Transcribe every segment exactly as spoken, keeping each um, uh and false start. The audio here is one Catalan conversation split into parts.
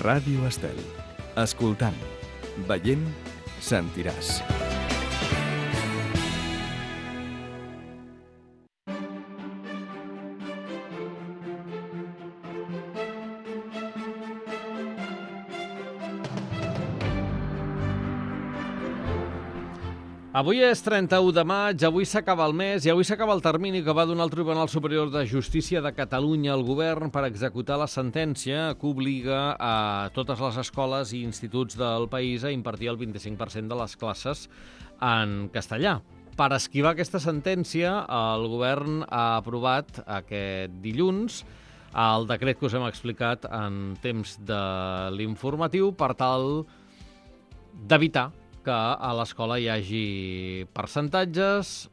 Ràdio Estel. Escoltant, veient, sentiràs. Avui és trenta-u de maig, avui s'acaba el mes i avui s'acaba el termini que va donar el Tribunal Superior de Justícia de Catalunya al govern per executar la sentència que obliga a totes les escoles i instituts del país a impartir el vint-i-cinc per cent de les classes en castellà. Per esquivar aquesta sentència, el govern ha aprovat aquest dilluns el decret que us hem explicat en temps de l'informatiu per tal d'evitar que a l'escola hi hagi percentatges,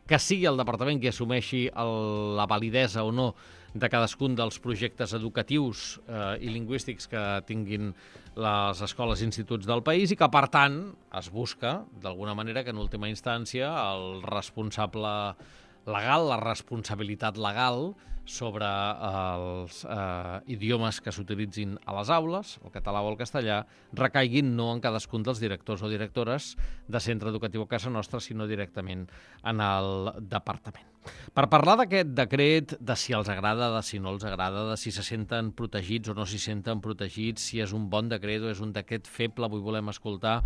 que sigui el departament qui assumeixi el, la validesa o no de cadascun dels projectes educatius eh, i lingüístics que tinguin les escoles i instituts del país i que, per tant, es busca, d'alguna manera, que en última instància el responsable legal, la responsabilitat legal sobre els eh, idiomes que s'utilitzin a les aules, el català o el castellà, recaiguin no en cadascun dels directors o directores de centre educatiu a casa nostra, sinó directament en el departament. Per parlar d'aquest decret, de si els agrada, de si no els agrada, de si se senten protegits o no s'hi senten protegits, si és un bon decret o és un decret feble, avui volem escoltar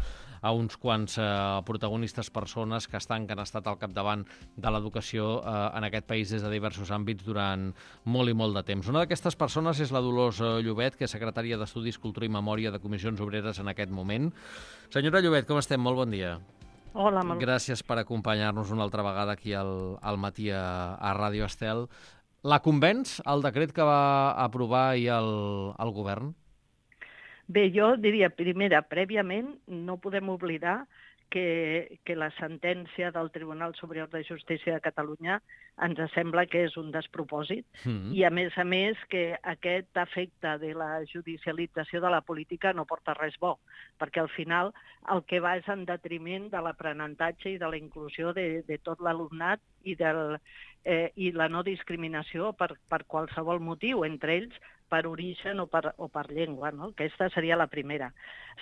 a uns quants eh, protagonistes, persones que estan, que han estat al capdavant de l'educació eh, en aquest país des de diversos àmbits durant molt i molt de temps. Una d'aquestes persones és la Dolors Llobet, que és secretària d'Estudis, Cultura i Memòria de Comissions Obreres en aquest moment. Senyora Llobet, com estem? Molt bon dia. Hola, molt... Gràcies per acompanyar-nos una altra vegada aquí al, al matí a, a Ràdio Estel. La convenç el decret que va aprovar ahir el, el govern? Bé, jo diria, primera, prèviament, no podem oblidar que, que la sentència del Tribunal Superior de Justícia de Catalunya ens sembla que és un despropòsit mm-hmm. i, a més a més, que aquest efecte de la judicialització de la política no porta res bo, perquè al final el que va és en detriment de l'aprenentatge i de la inclusió de, de tot l'alumnat i, del, eh, i la no discriminació per, per qualsevol motiu, entre ells per origen o per, o per llengua, no? Aquesta seria la primera.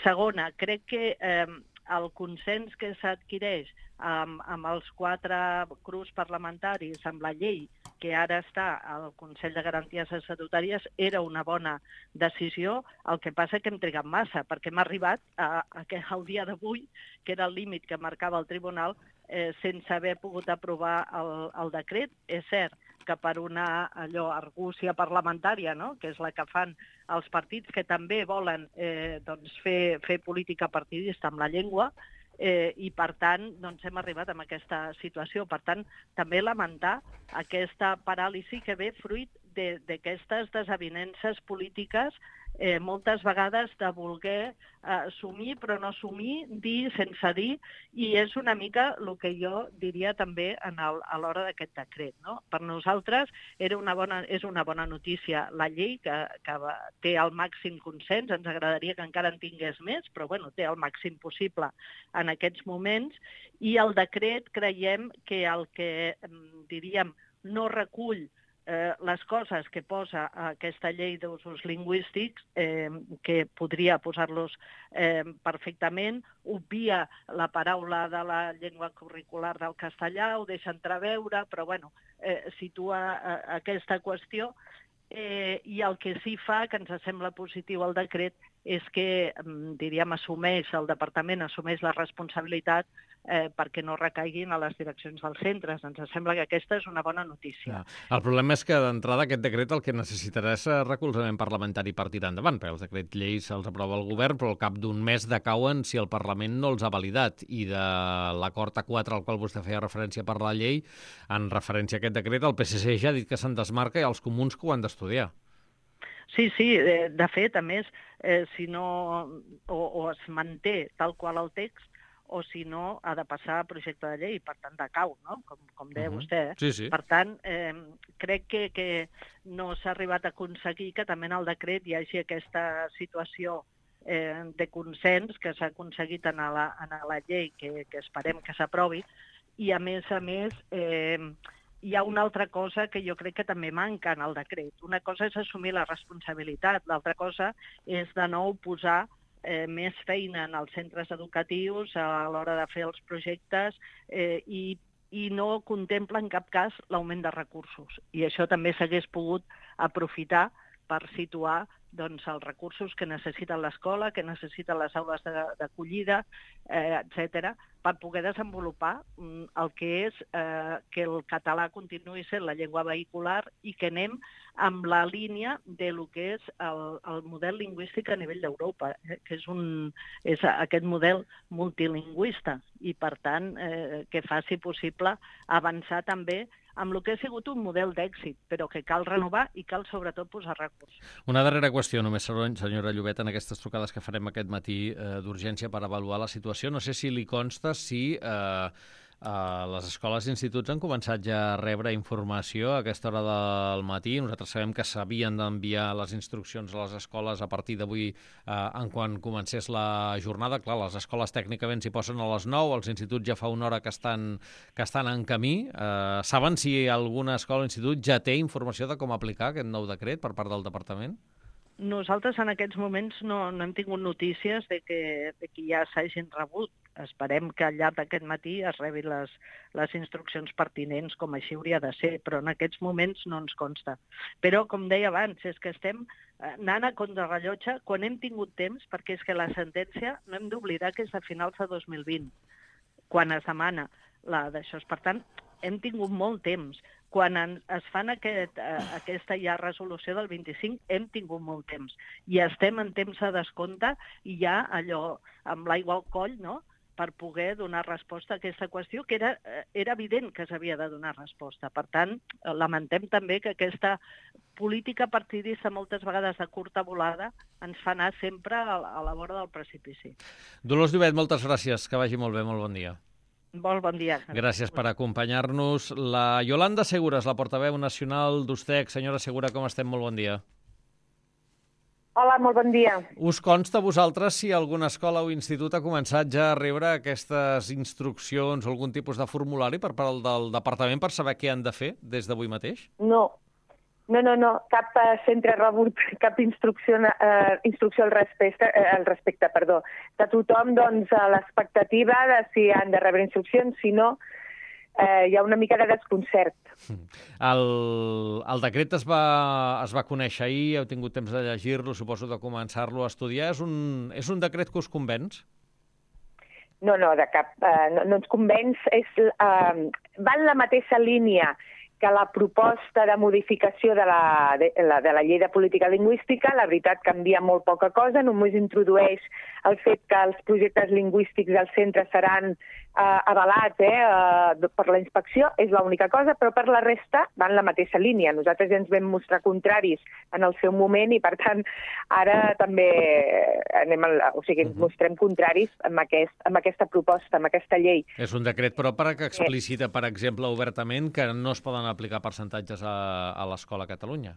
Segona, crec que eh, el consens que s'adquireix amb, amb els quatre grups parlamentaris, amb la llei que ara està al Consell de Garanties Estatutàries, era una bona decisió. El que passa és que hem trigat massa, perquè hem arribat a, a, a al dia d'avui, que era el límit que marcava el tribunal, eh, sense haver pogut aprovar el, el decret. És cert que per una allò, argúcia parlamentària, no? Que és la que fan els partits que també volen eh, doncs, fer, fer política partidista amb la llengua, eh, i per tant doncs, hem arribat a aquesta situació. Per tant, també lamentar aquesta paràlisi que ve fruit d'aquestes desavinences polítiques, eh, moltes vegades de voler eh, assumir però no assumir, dir sense dir, i és una mica el que jo diria també en el, a l'hora d'aquest decret, no? Per nosaltres era una bona, és una bona notícia la llei, que, que té el màxim consens, ens agradaria que encara en tingués més, però bueno, té el màxim possible en aquests moments, i el decret creiem que el que diríem no recull Eh, les coses que posa aquesta llei d'usos lingüístics, eh, que podria posar-los eh, perfectament, obvia la paraula de la llengua curricular del castellà, ho deixa entreveure, però bueno, eh, situa eh, aquesta qüestió. Eh, I el que sí fa, que ens sembla positiu el decret, és que, diríem, assumeix, el departament assumeix la responsabilitat eh, perquè no recaiguin a les direccions dels centres. Ens sembla que aquesta és una bona notícia. Ja. El problema és que, d'entrada, aquest decret el que necessitarà és recolzament parlamentari per tirar endavant, perquè els decrets lleis se'ls aprova el govern, però al cap d'un mes decauen si el Parlament no els ha validat. I de l'acord A quatre al qual vostè feia referència per la llei, en referència a aquest decret, el P S C ja ha dit que se'n desmarca i els comuns que ho han d'estudiar. Sí, sí, de fet, a més, eh, si no, o, o es manté tal qual el text, o si no, ha de passar a projecte de llei, per tant, decau, no? Com, com deia uh-huh. vostè. Eh? Sí, sí. Per tant, eh, crec que, que no s'ha arribat a aconseguir que també en el decret hi hagi aquesta situació eh, de consens que s'ha aconseguit en la, en la llei, que, que esperem que s'aprovi, i a més a més... Eh, hi ha una altra cosa que jo crec que també manca en el decret. Una cosa és assumir la responsabilitat, l'altra cosa és de nou posar eh, més feina en els centres educatius a l'hora de fer els projectes eh, i, i no contempla en cap cas l'augment de recursos. I això també s'hagués pogut aprofitar per situar doncs, els recursos que necessita l'escola, que necessiten les aules d'acollida, eh, etcètera, per poder desenvolupar mm, el que és eh, que el català continuï sent la llengua vehicular i que anem amb la línia de lo que és el, el model lingüístic a nivell d'Europa, eh, que és, un, és aquest model multilingüista i, per tant, eh, que faci possible avançar també amb el que ha sigut un model d'èxit, però que cal renovar i cal sobretot posar recursos. Una darrera qüestió, només, senyora Llobet, en aquestes trucades que farem aquest matí eh, d'urgència per avaluar la situació. No sé si li consta si eh, eh, les escoles i instituts han començat ja a rebre informació a aquesta hora del matí. Nosaltres sabem que s'havien d'enviar les instruccions a les escoles a partir d'avui eh, en quan comencés la jornada. Clar, les escoles tècnicament s'hi posen a les nou, els instituts ja fa una hora que estan, que estan en camí. Eh, saben si alguna escola o institut ja té informació de com aplicar aquest nou decret per part del departament? Nosaltres en aquests moments no, no hem tingut notícies de que, de que ja s'hagin rebut. Esperem que al llarg d'aquest matí es rebin les, les instruccions pertinents, com així hauria de ser, però en aquests moments no ens consta. Però, com deia abans, és que estem anant a contrarrellotge quan hem tingut temps, perquè és que la sentència no hem d'oblidar que és a finals de dos mil vint, quan es demana la d'això. Per tant, hem tingut molt temps. Quan en, es fan aquest, eh, aquesta ja resolució del vint-i-cinc, hem tingut molt temps. I estem en temps de descompte i ja allò amb l'aigua al coll, no?, per poder donar resposta a aquesta qüestió, que era, era evident que s'havia de donar resposta. Per tant, lamentem també que aquesta política partidista moltes vegades de curta volada ens fa anar sempre a, a la vora del precipici. Dolors Llobet, moltes gràcies. Que vagi molt bé, molt bon dia. Molt bon dia. Gràcies per acompanyar-nos. La Yolanda Segures, la portaveu nacional d'Ustec. Senyora Segura, com estem? Molt bon dia. Hola, molt bon dia. Us consta a vosaltres si alguna escola o institut ha començat ja a rebre aquestes instruccions o algun tipus de formulari per part del departament per saber què han de fer des d'avui mateix? No. No, no, no, cap uh, centre ha rebut cap instrucció, uh, instrucció al respecte, uh, al respecte, perdó. De tothom, doncs, a l'expectativa de si han de rebre instruccions, si no, uh, hi ha una mica de desconcert. El, el decret es va, es va conèixer ahir, heu tingut temps de llegir-lo, suposo de començar-lo a estudiar. És un, és un decret que us convenç? No, no, de cap, uh, no, no ens convenç. És, uh, va en la mateixa línia que la proposta de modificació de la, de, la, de la llei de política lingüística. La veritat, canvia molt poca cosa, només introdueix el fet que els projectes lingüístics del centre seran eh, avalats eh, eh, per la inspecció, és l'única cosa, però per la resta va en la mateixa línia. Nosaltres ja ens vam mostrar contraris en el seu moment i, per tant, ara també anem al, o sigui, ens mostrem contraris amb, aquest, amb aquesta proposta, amb aquesta llei. És un decret, però per que explicita, per exemple, obertament que no es poden aplicar percentatges a, a l'escola a Catalunya.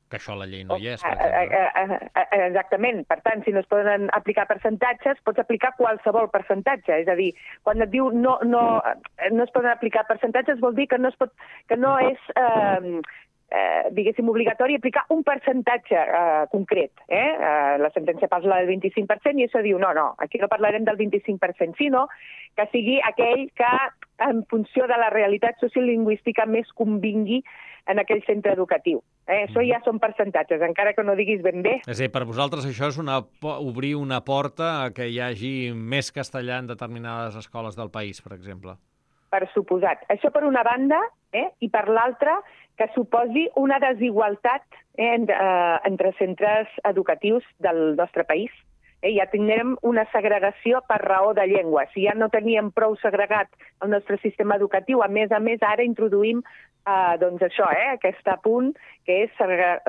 Que això a la llei no hi és, per exemple. Exactament. Per tant, si no es poden aplicar percentatges, pots aplicar qualsevol percentatge. És a dir, quan et diu no, no, no es poden aplicar percentatges, vol dir que no, es pot, que no és... Eh, Eh, diguéssim, obligatori aplicar un percentatge eh, concret. Eh? Eh, la sentència parla del vint-i-cinc per cent i això diu, no, no, aquí no parlarem del vint-i-cinc per cent, sinó que sigui aquell que, en funció de la realitat sociolingüística, més convingui en aquell centre educatiu. Eh? Això ja són percentatges, encara que no diguis ben bé. És a dir, per vosaltres això és una, obrir una porta a que hi hagi més castellà en determinades escoles del país, per exemple. Per suposat. Això per una banda, eh? I per l'altra, que suposi una desigualtat eh, entre, eh, entre centres educatius del nostre país. Eh? Ja tindrem una segregació per raó de llengua. Si ja no teníem prou segregat el nostre sistema educatiu, a més a més ara introduïm eh, doncs això, eh? aquest punt que és segregar,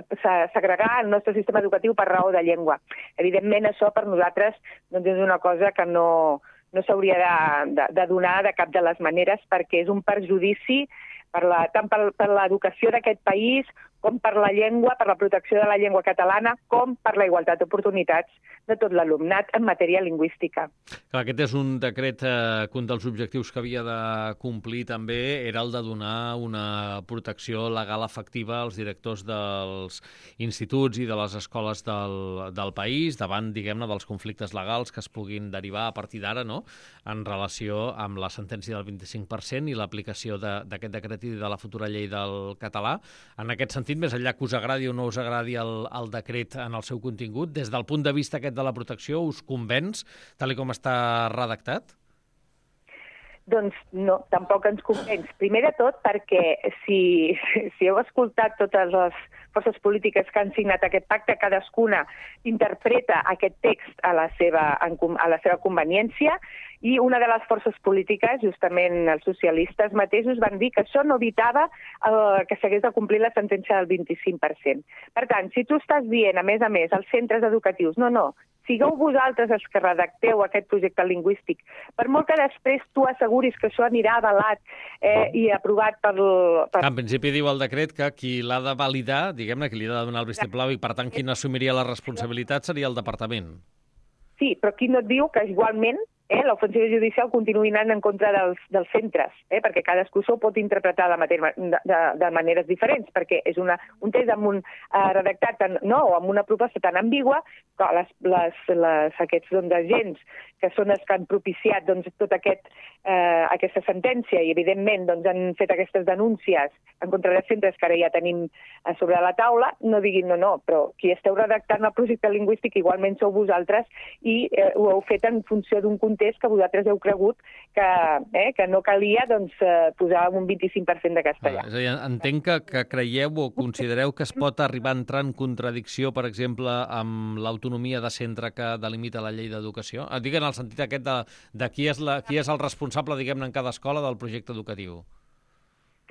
segregar el nostre sistema educatiu per raó de llengua. Evidentment això per nosaltres doncs, és una cosa que no... no s'hauria de, de, de donar de cap de les maneres perquè és un perjudici per la, tant per, per l'educació d'aquest país com per la llengua, per la protecció de la llengua catalana, com per la igualtat d'oportunitats de tot l'alumnat en matèria lingüística. Clar, aquest és un decret eh, que un dels objectius que havia de complir també era el de donar una protecció legal efectiva als directors dels instituts i de les escoles del, del país davant, diguem-ne, dels conflictes legals que es puguin derivar a partir d'ara, no?, en relació amb la sentència del vint-i-cinc per cent i l'aplicació d'aquest decret i de la futura llei del català. En aquest sentit, més enllà que us agradi o no us agradi el, el decret en el seu contingut, des del punt de vista aquest de la protecció, us convenç, tal com està redactat? Doncs no, tampoc ens convenç. Primer de tot perquè si, si heu escoltat totes les forces polítiques que han signat aquest pacte, cadascuna interpreta aquest text a la seva, a la seva conveniència, i una de les forces polítiques, justament els socialistes mateixos, van dir que això no evitava eh, que s'hagués de complir la sentència del vint-i-cinc per cent. Per tant, si tu estàs dient, a més a més, als centres educatius, no, no, sigueu vosaltres els que redacteu aquest projecte lingüístic, per molt que després tu asseguris que això anirà avalat eh, i aprovat per... per... En principi diu el decret que qui l'ha de validar, diguem-ne, qui li ha de donar el vistiplau i, per tant, qui n'assumiria la responsabilitat seria el departament. Sí, però aquí no et diu que igualment eh, l'ofensiva judicial continuï anant en contra dels, dels centres, eh, perquè cadascú s'ho pot interpretar de, matèria, de, de, de maneres diferents, perquè és una, un text amb un eh, redactat tan, no, o amb una proposta tan ambigua que les, les, les, aquests doncs, agents que són els que han propiciat doncs, tota aquest, eh, aquesta sentència i, evidentment, doncs, han fet aquestes denúncies en contra dels centres que ara ja tenim a sobre la taula, no diguin no, no, però qui esteu redactant el projecte lingüístic igualment sou vosaltres i eh, ho heu fet en funció d'un context que vosaltres heu cregut que, eh, que no calia doncs, eh, posar un vint-i-cinc per cent de castellà. Ah, és a dir, entenc que, que creieu o considereu que es pot arribar a entrar en contradicció, per exemple, amb l'autonomia de centre que delimita la llei d'educació? Dic en el sentit aquest de, de qui, és la, qui és el responsable, diguem-ne, en cada escola del projecte educatiu.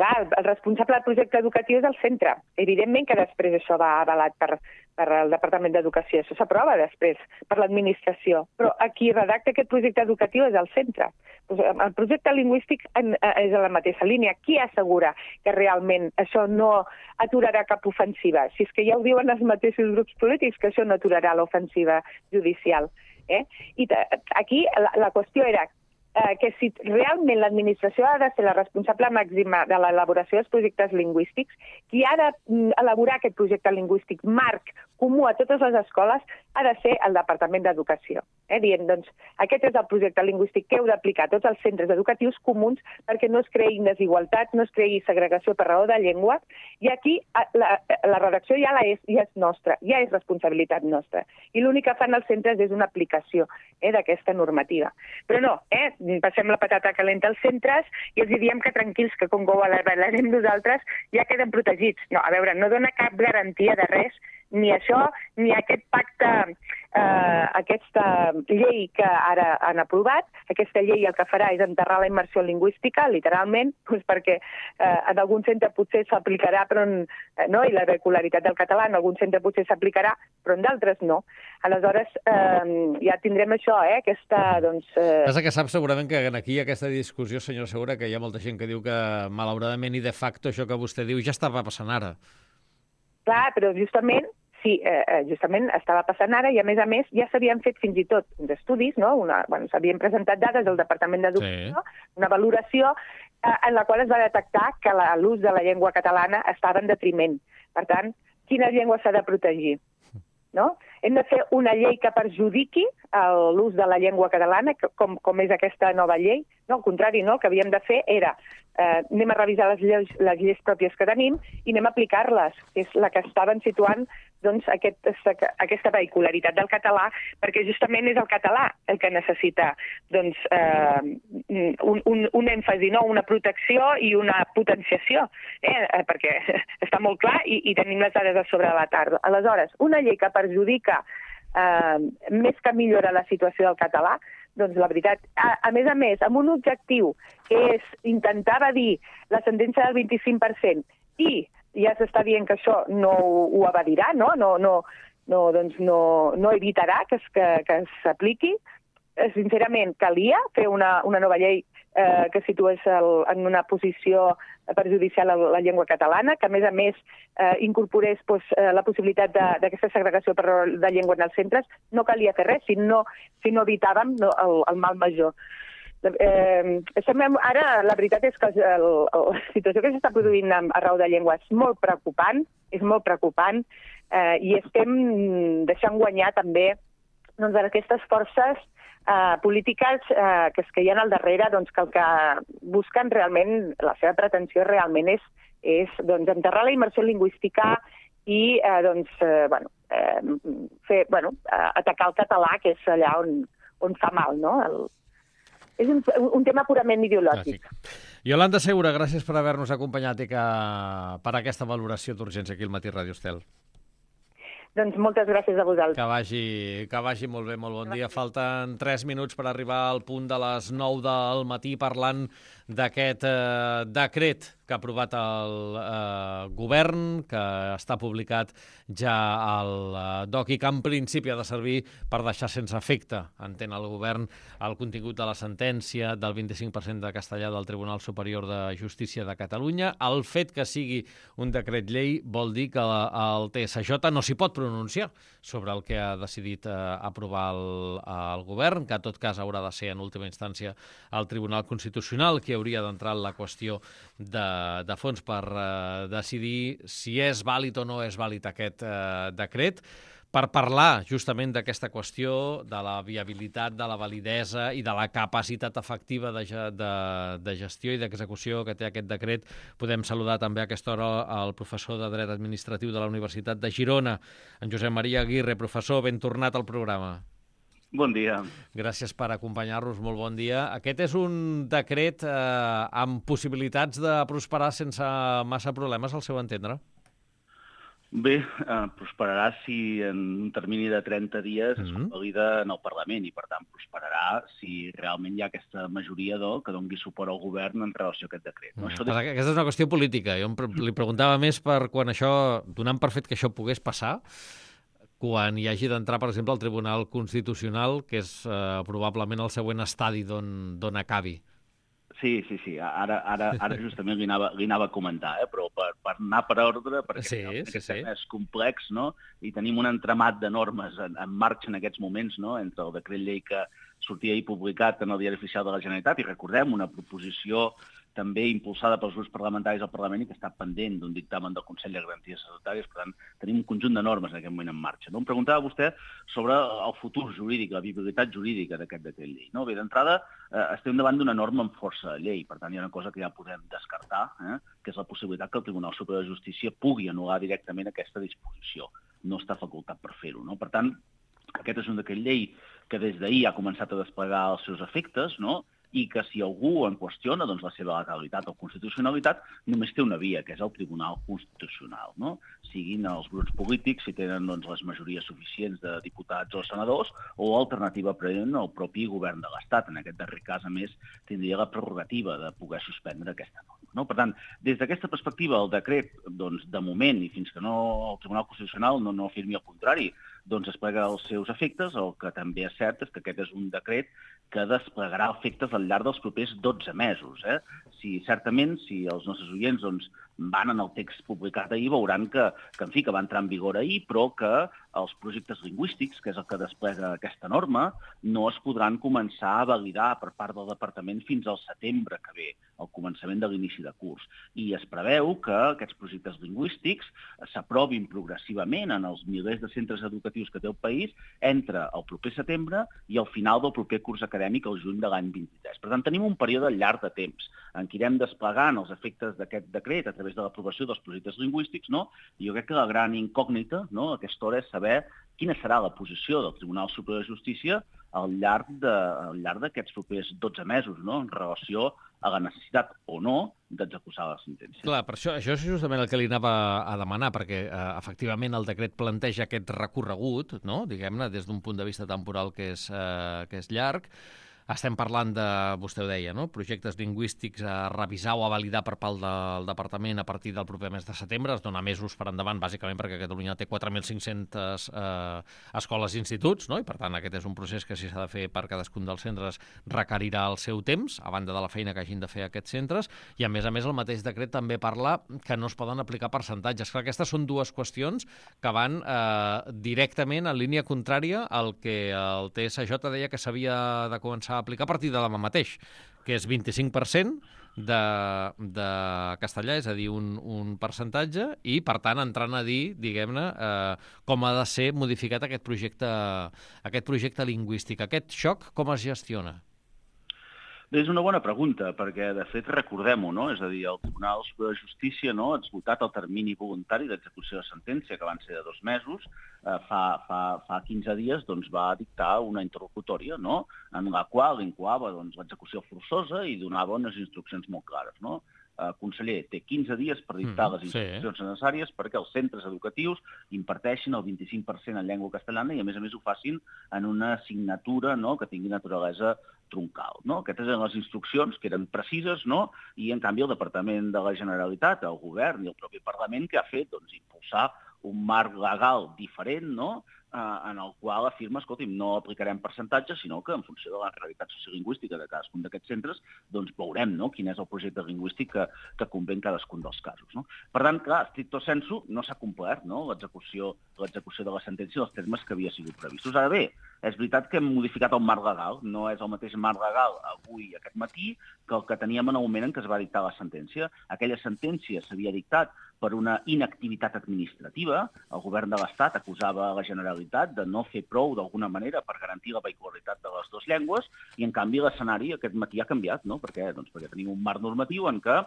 Clar, el responsable del projecte educatiu és el centre. Evidentment que després això va avalat per, per el Departament d'Educació. Això s'aprova després per l'administració. Però a qui redacta aquest projecte educatiu és el centre. El projecte lingüístic és a la mateixa línia. Qui assegura que realment això no aturarà cap ofensiva? Si és que ja ho diuen els mateixos grups polítics, que això no aturarà l'ofensiva judicial. Eh? I aquí la, la qüestió era Eh, que si realment l'administració ha de ser la responsable màxima de l'elaboració dels projectes lingüístics, qui ha d'elaborar aquest projecte lingüístic marc comú a totes les escoles ha de ser el Departament d'Educació. Eh, dient, doncs, aquest és el projecte lingüístic que heu d'aplicar a tots els centres educatius comuns perquè no es creïn desigualtat, no es creï segregació per raó de llengua, i aquí la, la redacció ja, la és, ja és nostra, ja és responsabilitat nostra. I l'únic que fan els centres és una aplicació eh, d'aquesta normativa. Però no, eh, passem la patata calenta als centres i els diem que tranquils, que com que ho avalarem nosaltres ja queden protegits. No, a veure, no dona cap garantia de res, ni això, ni aquest pacte, eh, aquesta llei que ara han aprovat. Aquesta llei el que farà és enterrar la immersió lingüística, literalment, doncs perquè eh, en algun centre potser s'aplicarà, però en, eh, no? I la regularitat del català en algun centre potser s'aplicarà, però en d'altres no. Aleshores, eh, ja tindrem això, eh, aquesta, doncs... Eh... Passa que saps segurament que aquí aquesta discussió, senyor Segura, que hi ha molta gent que diu que, malauradament i de facto, això que vostè diu ja estava passant ara. Clar, però justament sí, eh, justament estava passant ara i, a més a més, ja s'havien fet fins i tot uns estudis, no? Una, bueno, s'havien presentat dades al Departament d'Educació, sí. Una valoració eh, en la qual es va detectar que l'ús de la llengua catalana estava en detriment. Per tant, quina llengua s'ha de protegir? No? Hem de fer una llei que perjudiqui l'ús de la llengua catalana, com, com és aquesta nova llei. No, al contrari, no? El que havíem de fer era eh, anem a revisar les lleis, les lleis pròpies que tenim i anem a aplicar-les, que és la que estaven situant doncs, aquest, aquesta vehicularitat del català, perquè justament és el català el que necessita doncs, eh, un, un, un èmfasi, no? Una protecció i una potenciació, eh? Perquè està molt clar i, i tenim les dades a sobre de la tarda. Aleshores, una llei que perjudica eh, més que millora la situació del català, doncs la veritat, a, a més a més, amb un objectiu que és intentar evadir la sentència del vint-i-cinc per cent i ja s'està dient que això no ho, ho evadirà, no? No, no, no, doncs no, no evitarà que, es, que, que s'apliqui. Sincerament, calia fer una, una nova llei eh, que situés el, en una posició perjudicial a la llengua catalana, que a més a més eh, incorporés pues, eh, la possibilitat d'aquesta segregació per raó de llengua en els centres. No calia fer res si no, si no evitàvem no, el, el mal major. Eh, ara, la veritat és que el, el, la situació que s'està produint arreu de llengua és molt preocupant, és molt preocupant, eh, i estem deixant guanyar també doncs, aquestes forces eh, polítiques eh, que es queien al darrere, doncs, que el que busquen realment, la seva pretensió realment és, és doncs, enterrar la immersió lingüística i eh, doncs, eh, bueno, eh, fer, bueno, eh, atacar el català, que és allà on, on fa mal, no? El, És un, un tema purament ideològic. Clàssic. Yolanda Segura, gràcies per haver-nos acompanyat i que, per aquesta valoració d'urgència aquí al Matí Ràdio Estel. Doncs moltes gràcies a vosaltres. Que vagi, que vagi molt bé, molt bon dia. Falten tres minuts per arribar al punt de les nou del matí parlant d'aquest eh, decret que ha aprovat el eh, govern, que està publicat ja al eh, D O C i que en principi ha de servir per deixar sense efecte, entén el govern, el contingut de la sentència del vint-i-cinc per cent de castellà del Tribunal Superior de Justícia de Catalunya. El fet que sigui un decret llei vol dir que el T S J no s'hi pot pronunciar sobre el que ha decidit eh, aprovar el, el govern, que en tot cas haurà de ser en última instància el Tribunal Constitucional qui hauria d'entrar en la qüestió de, de fons per eh, decidir si és vàlid o no és vàlid aquest eh, decret, per parlar justament d'aquesta qüestió, de la viabilitat, de la validesa i de la capacitat efectiva de, de, de gestió i d'execució que té aquest decret. Podem saludar també a aquesta hora el professor de Dret Administratiu de la Universitat de Girona, en Josep Maria Aguirre. Professor, ben tornat al programa. Bon dia. Gràcies per acompanyar-nos, molt bon dia. Aquest és un decret eh, amb possibilitats de prosperar sense massa problemes, al seu entendre? Bé, eh, prosperarà si en un termini de trenta dies es Mm-hmm. convalida en el Parlament i, per tant, prosperarà si realment hi ha aquesta majoria do, que doni suport al govern en relació a aquest decret. No? Mm. Això Però aquesta és una qüestió política. Jo em pre- li preguntava més per quan això, donant per fet que això pogués passar, quan hi hagi d'entrar, per exemple, al Tribunal Constitucional, que és eh, probablement el següent estadi d'on d'on acabi. Sí, sí, sí. Ara, ara, ara justament li anava, li anava a comentar, eh? Però per, per anar per ordre, perquè Sí, realment sí, aquest sí. tema és complex, no? I tenim un entramat de normes en, en marxa en aquests moments, no? Entre el decret llei que sortia ahir publicat en el Diari Oficial de la Generalitat i, recordem, una proposició també impulsada pels grups parlamentaris al Parlament i que està pendent d'un dictamen del Consell de Garanties Estatutàries. Per tant, tenim un conjunt de normes en aquest moment en marxa. No? Em preguntava vostè sobre el futur jurídic, la viabilitat jurídica d'aquest decret llei. No? Bé, d'entrada, eh, estem davant d'una norma amb força de llei. Per tant, hi ha una cosa que ja podem descartar, eh? que és la possibilitat que el Tribunal Superior de Justícia pugui anul·lar directament aquesta disposició. No està facultat per fer-ho. No? Per tant, aquest és un decret llei que des d'ahir ha començat a desplegar els seus efectes, no? I que si algú en qüestiona doncs, la seva legalitat o constitucionalitat, només té una via, que és el Tribunal Constitucional. No? Siguin els grups polítics, si tenen doncs, les majories suficients de diputats o senadors, o alternativa present el propi govern de l'Estat. En aquest darrer cas, a més, tindria la prerrogativa de poder suspendre aquesta norma. No? Per tant, des d'aquesta perspectiva, el decret, doncs, de moment, i fins que no el Tribunal Constitucional no, no afirmi el contrari, doncs desplega els seus efectes. El que també és cert és que aquest és un decret que desplegarà efectes al llarg dels propers dotze mesos. Eh? Si, certament, si els nostres oients doncs, van en el text publicat ahir, veuran que, que, en fi, que va entrar en vigor ahir, però que els projectes lingüístics, que és el que desplega aquesta norma, no es podran començar a validar per part del Departament fins al setembre que ve, al començament de l'inici de curs. I es preveu que aquests projectes lingüístics s'aprovin progressivament en els milers de centres educatius que té el país entre el proper setembre i el final del proper curs acadèmic al juny de l'any vint-i-tres. Per tant, tenim un període llarg de temps en què irem desplegant els efectes d'aquest decret a través de l'aprovació dels projectes lingüístics, no? I jo crec que la gran incògnita, no?, a aquesta hora és saber quina serà la posició del Tribunal Superior de Justícia al llarg de, al llarg d'aquests propers dotze mesos, no?, en relació a la necessitat o no d'executar la sentència. Clar, per això, això és justament el que li anava a demanar, perquè eh, efectivament el decret planteja aquest recorregut, no?, diguem-ne, des d'un punt de vista temporal que és, eh, que és llarg. estem parlant de, vostè ho deia, no? projectes lingüístics a revisar o a validar per part del Departament a partir del proper mes de setembre. Es dona mesos per endavant, bàsicament perquè Catalunya té quatre mil cinc-centes eh, escoles i instituts, no? I per tant aquest és un procés que si s'ha de fer per cadascun dels centres requerirà el seu temps, a banda de la feina que hagin de fer aquests centres, i a més a més el mateix decret també parla que no es poden aplicar percentatges. Clar, aquestes són dues qüestions que van eh, directament en línia contrària al que el T S J deia que s'havia de començar a aplicar a partir de demà mateix, que és vint-i-cinc per cent de, de castellà, és a dir, un, un percentatge, i, per tant, entrant a dir, diguem-ne, eh, com ha de ser modificat aquest projecte, aquest projecte lingüístic. Aquest xoc, com es gestiona? Bé, és una bona pregunta, perquè, de fet, recordem-ho, no? És a dir, el Tribunal Superior de Justícia no, ha esgotat el termini voluntari d'execució de sentència, que van ser de dos mesos. Eh, fa, fa, fa quinze dies doncs, va dictar una interlocutòria, no?, en la qual incoava doncs, l'execució forçosa i donava unes instruccions molt clares, no? Eh, conseller, té quinze dies per dictar mm, les instruccions sí. necessàries perquè els centres educatius imparteixin el vint-i-cinc per cent en llengua castellana i, a més a més, ho facin en una assignatura no, que tingui naturalesa troncal. No? Aquestes eren les instruccions que eren precises, no? I, en canvi, el Departament de la Generalitat, el Govern i el propi Parlament, que ha fet doncs, impulsar un marc legal diferent, no?, eh, en el qual afirma, escolti'm, no aplicarem percentatges, sinó que en funció de la realitat sociolingüística de cadascun d'aquests centres, doncs veurem no? quin és el projecte lingüístic que, que convé en cadascun dels casos. No? Per tant, clar, stricto sensu, no s'ha complert no? l'execució l'execució de la sentència dels termes que havia sigut previstos. Ara bé, és veritat que hem modificat el marc legal, no és el mateix marc legal avui, aquest matí, que el que teníem en el moment en què es va dictar la sentència. Aquella sentència s'havia dictat per una inactivitat administrativa. El govern de l'Estat acusava la Generalitat de no fer prou d'alguna manera per garantir la vehicularitat de les dues llengües i, en canvi, l'escenari aquest matí ha canviat. No? Per què? Doncs perquè tenim un marc normatiu en què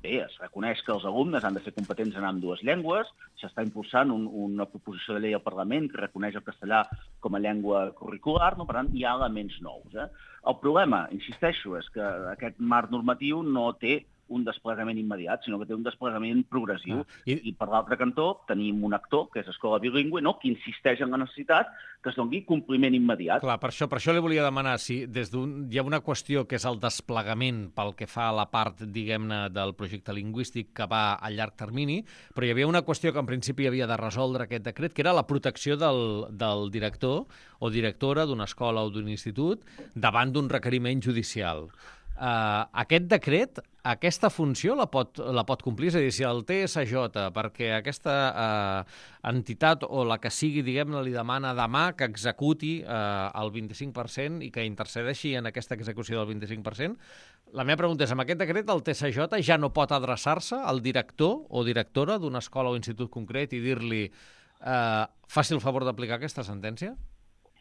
bé, es reconeix que els alumnes han de ser competents en ambdues llengües, s'està impulsant un, una proposició de llei al Parlament que reconeix el castellà com a llengua curricular, no? Per tant, hi ha elements nous. Eh? El problema, insisteixo, és que aquest marc normatiu no té un desplegament immediat, sinó que té un desplegament progressiu. Ah, i... I per l'altre cantó tenim un actor, que és Escola Bilingüe, no? que insisteix en la necessitat que es doni compliment immediat. Clar, per això, per això li volia demanar si des d'un hi ha una qüestió que és el desplegament pel que fa a la part, diguem-ne, del projecte lingüístic que va a llarg termini, però hi havia una qüestió que en principi havia de resoldre aquest decret, que era la protecció del, del director o directora d'una escola o d'un institut davant d'un requeriment judicial. Uh, aquest decret, aquesta funció la pot, la pot complir? És a dir, si el T S J, perquè aquesta uh, entitat o la que sigui, diguem-ne, li demana demà que executi uh, el vint-i-cinc per cent i que intercedeixi en aquesta execució del vint-i-cinc per cent, la meva pregunta és, amb aquest decret el T S J ja no pot adreçar-se al director o directora d'una escola o institut concret i dir-li uh, faci el favor d'aplicar aquesta sentència?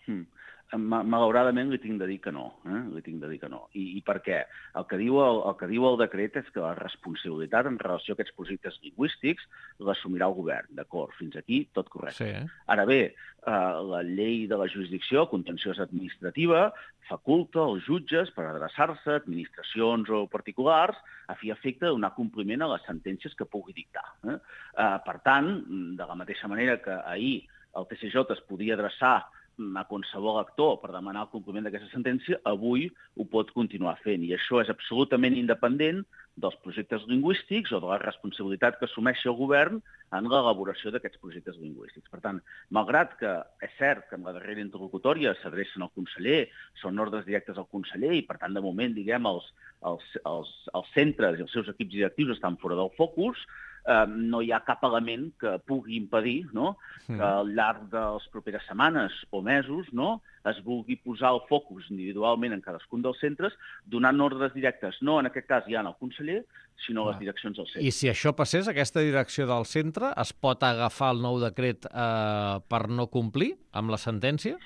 Hmm. Malauradament li tinc de dir que no, eh? li tinc de dir que no. I, i per què? El que, diu el, el que diu el decret és que la responsabilitat en relació a aquests projectes lingüístics l'assumirà el govern, d'acord? Fins aquí tot correcte. Sí, eh? Ara bé, eh, la llei de la jurisdicció contenciosa administrativa faculta els jutges per adreçar-se a administracions o particulars a fi efecte de donar compliment a les sentències que pugui dictar. Eh? Eh, per tant, de la mateixa manera que ahir el T S J es podia adreçar a qualsevol actor per demanar el compliment d'aquesta sentència, avui ho pot continuar fent. I això és absolutament independent dels projectes lingüístics o de la responsabilitat que assumeixi el govern en l'elaboració d'aquests projectes lingüístics. Per tant, malgrat que és cert que en la darrera interlocutòria s'adrecen al conseller, són ordres directes al conseller i, per tant, de moment, diguem, els, els, els, els centres i els seus equips directius estan fora del focus, eh, no hi ha cap element que pugui impedir no? que al llarg de les properes setmanes o mesos no? es vulgui posar el focus individualment en cadascun dels centres, donant ordres directes, no en aquest cas ja al conseller, sinó a les direccions del centre. I si això passés, aquesta direcció del centre es pot agafar el nou decret eh, per no complir amb la sentència?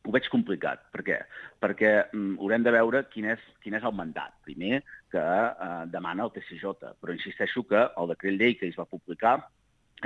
Ho veig complicat. Per què? Perquè mm, haurem de veure quin és, quin és el mandat, primer, que eh, demana el T S J. Però insisteixo que el decret llei que es va publicar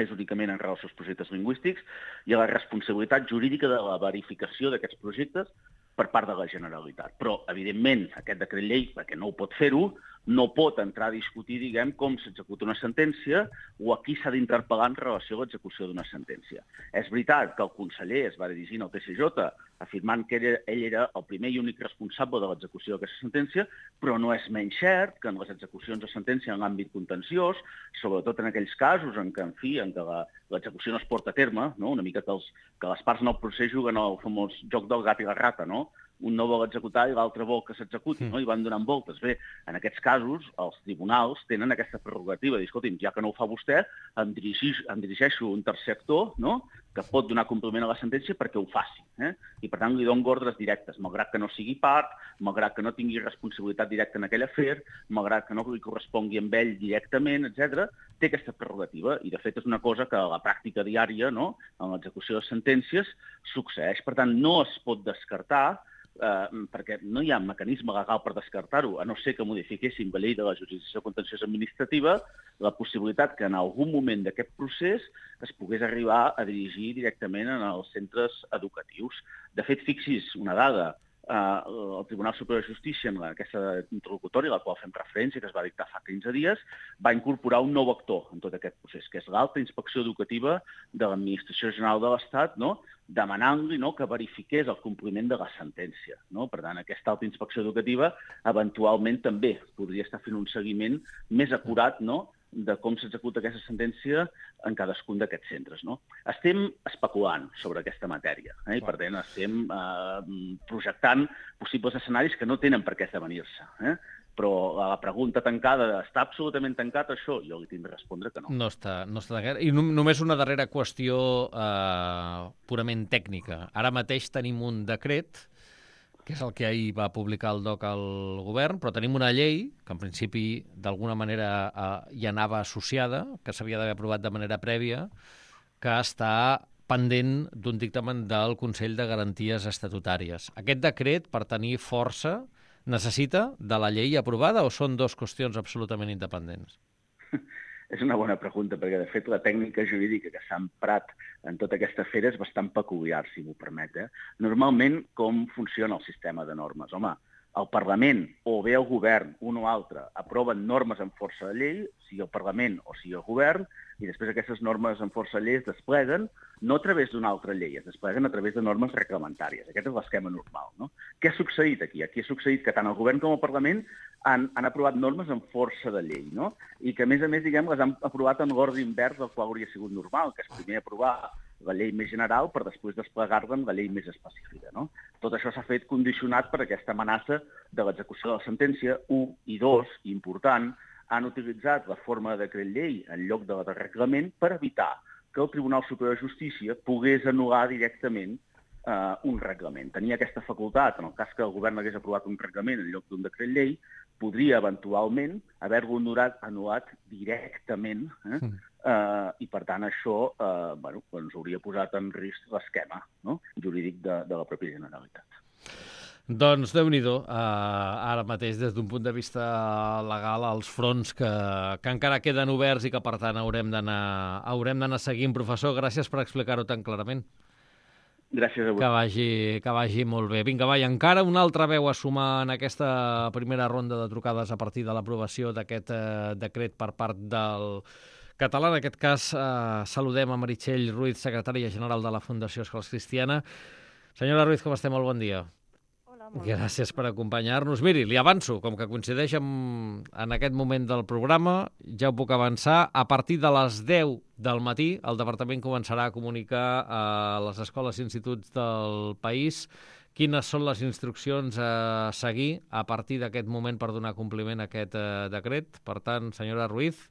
és únicament en relació als projectes lingüístics i a la responsabilitat jurídica de la verificació d'aquests projectes per part de la Generalitat. Però, evidentment, aquest decret llei, perquè no ho pot fer-ho, no pot entrar a discutir, diguem, com s'executa una sentència o a qui s'ha d'interpel·lar en relació a l'execució d'una sentència. És veritat que el conseller es va dirigir al T C J afirmant que ell, ell era el primer i únic responsable de l'execució d'aquesta sentència, però no és menys cert que en les execucions de sentència en l'àmbit contenciós, sobretot en aquells casos en què, en fi, en què l'execució no es porta a terme, no? Una mica que, els, que les parts en el procés juguen el famós joc del gat i la rata, no? Un no vol executar i l'altre vol que s'executi, no? I van donant voltes. Bé, en aquests casos, els tribunals tenen aquesta prerrogativa de dir, escolti'm, ja que no ho fa vostè, em, dirigix, em dirigeixo a un tercer actor, no?, que pot donar compliment a la sentència perquè ho faci. Eh? I, per tant, li dono ordres directes, malgrat que no sigui part, malgrat que no tingui responsabilitat directa en aquell afer, malgrat que no li correspongui amb ell directament, etcètera, té aquesta prerrogativa. I, de fet, és una cosa que a la pràctica diària, no?, en l'execució de sentències, succeeix. Per tant, no es pot descartar, eh, perquè no hi ha mecanisme legal per descartar-ho, a no ser que modifiquéssim la llei de la jurisdicció contenciosa administrativa, la possibilitat que en algun moment d'aquest procés es pogués arribar a dirigir directament en els centres educatius. De fet, fixi's una dada, eh, el Tribunal Superior de Justícia, en aquesta interlocutòria, a la qual fem referència, que es va dictar fa quinze dies, va incorporar un nou actor en tot aquest procés, que és l'alta inspecció educativa de l'Administració General de l'Estat, no?, demanant-li, no?, que verifiqués el compliment de la sentència. No? Per tant, aquesta alta inspecció educativa eventualment també podria estar fent un seguiment més acurat, no?, de com s'executa aquesta sentència en cadascun d'aquests centres. No? Estem especulant sobre aquesta matèria, eh? I per tant estem eh, projectant possibles escenaris que no tenen per què esdevenir-se. Eh? Però la pregunta tancada, està absolutament tancat això? Jo li tinc de respondre que no. No està, no està tancat. I només una darrera qüestió eh, purament tècnica. Ara mateix tenim un decret, que és el que ahir va publicar el D O C al govern, però tenim una llei, que en principi d'alguna manera eh, hi anava associada, que s'havia d'haver aprovat de manera prèvia, que està pendent d'un dictamen del Consell de Garanties Estatutàries. Aquest decret, per tenir força, necessita de la llei aprovada o són dues qüestions absolutament independents? És una bona pregunta, perquè, de fet, la tècnica jurídica que s'ha emprat en tota aquesta fera és bastant peculiar, si m'ho permet. Eh? Normalment, com funciona el sistema de normes? Home, el Parlament o bé el govern, un o altre, aproven normes en força de llei, sigui el Parlament o sigui el govern, i després aquestes normes en força de llei es despleguen no a través d'una altra llei, es despleguen a través de normes reglamentàries. Aquest és l'esquema normal. No? Què ha succeït aquí? Aquí ha succeït que tant el govern com el Parlament han, han aprovat normes en força de llei, no? I que, a més a més, diguem, les han aprovat en l'ordre invers del qual hauria sigut normal, que és primer aprovar la llei més general per després desplegar-la en la llei més específica. No? Tot això s'ha fet condicionat per aquesta amenaça de l'execució de la sentència. Un i dos, important, han utilitzat la forma de decret llei en lloc de la de reglament per evitar que el Tribunal Superior de Justícia pogués anul·lar directament eh, un reglament. Tenia aquesta facultat, en el cas que el govern hagués aprovat un reglament en lloc d'un decret llei, podria eventualment haver-lo anul·lat, anul·lat directament, eh? Mm. Uh, i per tant això uh, bueno, ens hauria posat en risc l'esquema, no?, jurídic de, de la pròpia Generalitat. Doncs Déu-n'hi-do, uh, ara mateix des d'un punt de vista legal els fronts que, que encara queden oberts i que per tant haurem d'anar haurem d'anar seguint. Professor, gràcies per explicar-ho tan clarament. Gràcies a vosaltres. Que vagi, que vagi molt bé. Vinga, va, i encara una altra veu a sumar en aquesta primera ronda de trucades a partir de l'aprovació d'aquest uh, decret per part del català. En aquest cas, eh, saludem a Meritxell Ruiz, secretària general de la Fundació Escoles Cristiana. Senyora Ruiz, com estem? Molt bon dia. Hola, molt Gràcies per acompanyar-nos. Miri, li avanço, com que coincideix amb, en aquest moment del programa, ja ho puc avançar, a partir de les deu del matí el Departament començarà a comunicar a les escoles i instituts del país quines són les instruccions a seguir a partir d'aquest moment per donar compliment a aquest eh, decret. Per tant, senyora Ruiz,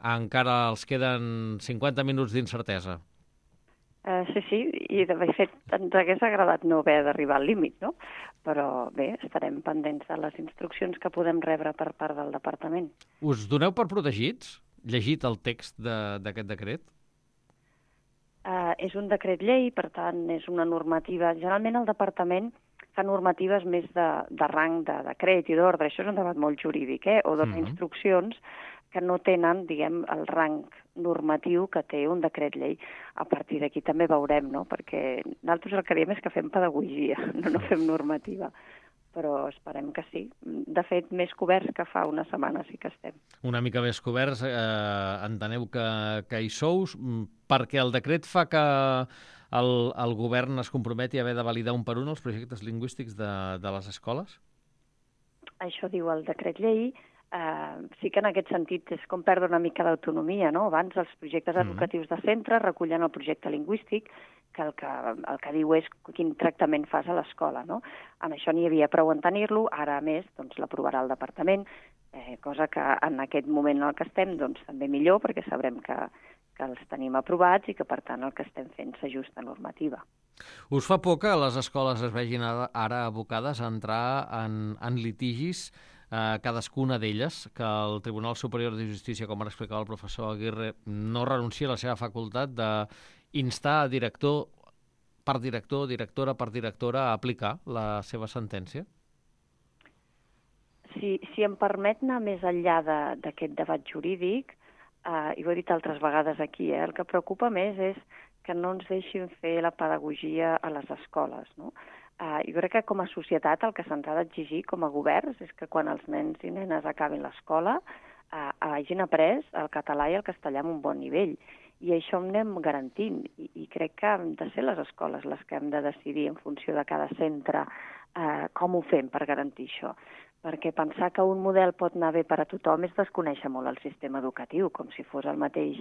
encara els queden cinquanta minuts d'incertesa. Uh, sí, sí, i de fet ens hagués agradat no haver d'arribar al límit, no? Però bé, estarem pendents de les instruccions que podem rebre per part del departament. Us doneu per protegits? Llegit el text d'aquest de, decret? Uh, és un decret llei, per tant, és una normativa. Generalment el departament fa normatives més de, de rang de decret i d'ordre. Això és un debat molt jurídic, eh? O dona mm-hmm. instruccions que no tenen, diguem, el rang normatiu que té un decret llei. A partir d'aquí també veurem, no? Perquè nosaltres el que diem és que fem pedagogia, no, no fem normativa. però esperem que sí. De fet, més coberts que fa una setmana sí que estem. Una mica més coberts, eh, enteneu que, que hi sous, perquè el decret fa que el, el govern es comprometi a haver de validar un per un els projectes lingüístics de, de les escoles? Això diu el decret llei. Uh, sí que en aquest sentit és com perdre una mica d'autonomia, no? Abans els projectes educatius de centre recullen el projecte lingüístic, que el que, el que diu és quin tractament fas a l'escola, no? En això n'hi havia prou en tenir-lo, ara a més doncs, l'aprovarà el departament, eh, cosa que en aquest moment en el que estem doncs, també millor, perquè sabrem que, que els tenim aprovats i que per tant el que estem fent s'ajusta a normativa. Us fa por que les escoles es vegin ara, ara abocades a entrar en, en litigis, eh, cadascuna d'elles, que el Tribunal Superior de Justícia, com ara explicava el professor Aguirre, no renuncia a la seva facultat d'instar a director per director, directora per directora, a aplicar la seva sentència? Si, si em permet anar més enllà d'aquest debat jurídic, eh, i ho he dit altres vegades aquí, eh, el que preocupa més és que no ens deixin fer la pedagogia a les escoles, no? Uh, jo crec que com a societat el que se'ns ha d'exigir com a governs és que quan els nens i nenes acabin l'escola uh, hagin après el català i el castellà amb un bon nivell. I això ho anem garantint. I, i crec que han de ser les escoles les que hem de decidir en funció de cada centre uh, com ho fem per garantir això. Perquè pensar que un model pot anar bé per a tothom és desconèixer molt el sistema educatiu, com si fos el mateix,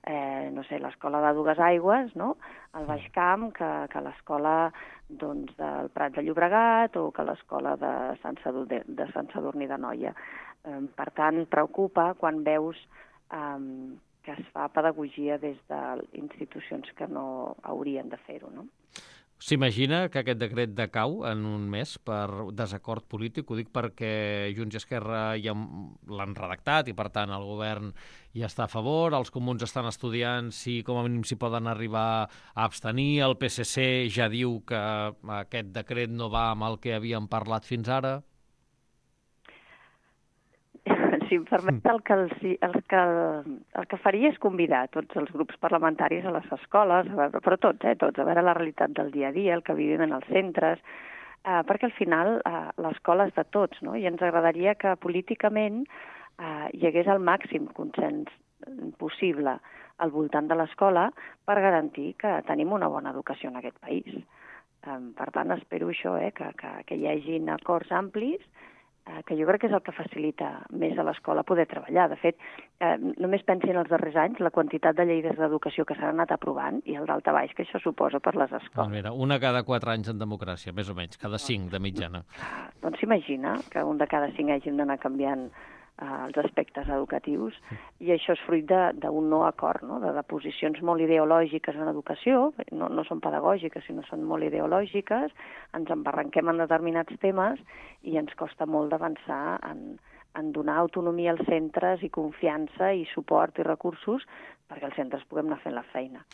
eh, no sé, l'escola de Dues Aigües, no?, al Baix Camp, que, que l'escola doncs, del Prat de Llobregat o que l'escola de Sant Sadurní de, Sant Sadurní d'Anoia. Eh, per tant, preocupa quan veus eh, que es fa pedagogia des d'institucions que no haurien de fer-ho, no? S'imagina que aquest decret decau en un mes per desacord polític? Ho dic perquè Junts i Esquerra ja l'han redactat i, per tant, el govern hi està a favor, els comuns estan estudiant si com a mínim s'hi poden arribar a abstenir, el P S C ja diu que aquest decret no va amb el que havíem parlat fins ara. Si em permet, el que, el, el, que, el que faria és convidar tots els grups parlamentaris a les escoles, a veure, però tots, eh, tots, a veure la realitat del dia a dia, el que vivim en els centres, eh, perquè al final eh, l'escola és de tots, no? I ens agradaria que políticament eh, hi hagués el màxim consens possible al voltant de l'escola per garantir que tenim una bona educació en aquest país. Eh, per tant, espero això, eh, que, que, que hi hagin acords amplis, que jo crec que és el que facilita més a l'escola poder treballar. De fet, eh, només pensin els darrers anys la quantitat de lleis d'educació que s'han anat aprovant i el daltabaix que això suposa per les escoles. Doncs mira, una cada quatre anys en democràcia, més o menys, cada cinc de mitjana. Ah, doncs s'imagina que un de cada cinc hàgim d'anar canviant eh, els aspectes educatius i això és fruit d'un no acord, no? de, de posicions molt ideològiques en educació, no, no són pedagògiques, sinó són molt ideològiques, ens embarranquem en determinats temes i ens costa molt d'avançar en, en donar autonomia als centres i confiança i suport i recursos perquè els centres puguem anar fent la feina.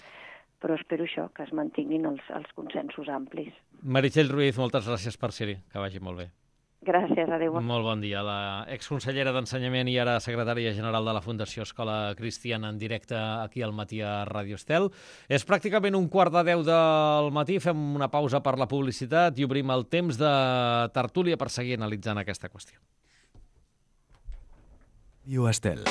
Però espero això, que es mantinguin els, els consensos amplis. Meritxell Ruiz, moltes gràcies per ser-hi, que vagi molt bé. Gràcies, adéu. Molt bon dia. La exconsellera d'Ensenyament i ara secretària general de la Fundació Escola Cristiana en directe aquí al matí a Ràdio Estel. És pràcticament un quart de deu del matí. Fem una pausa per la publicitat i obrim el temps de tertúlia per seguir analitzant aquesta qüestió. Ràdio Estel.